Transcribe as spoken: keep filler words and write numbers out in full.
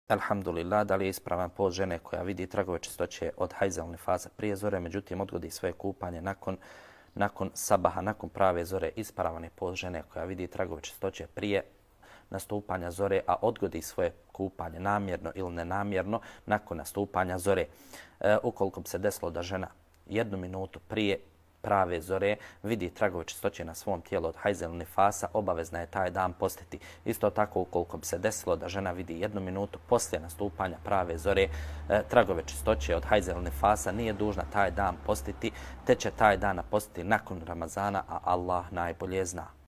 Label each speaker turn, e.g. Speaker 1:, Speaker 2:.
Speaker 1: Alhamdulillah, da li je ispravan post žene koja vidi tragove čistoće od hajza nifasa prije zore, međutim odgodi svoje kupanje nakon, nakon sabaha, nakon prave zore. Ispravan je post žene koja vidi tragove čistoće prije nastupanja zore, a odgodi svoje kupanje namjerno ili nenamjerno nakon nastupanja zore. E, ukoliko bi se desilo da žena jednu minutu prije prave zore vidi tragove čistoće na svom tijelu od hajza ili nifasa, obavezna je taj dan postiti. Isto tako, ukoliko bi se desilo da žena vidi jednu minutu poslije nastupanja prave zore e, tragove čistoće od hajza ili nifasa, nije dužna taj dan postiti, te će taj dan postiti nakon Ramazana, a Allah najbolje zna.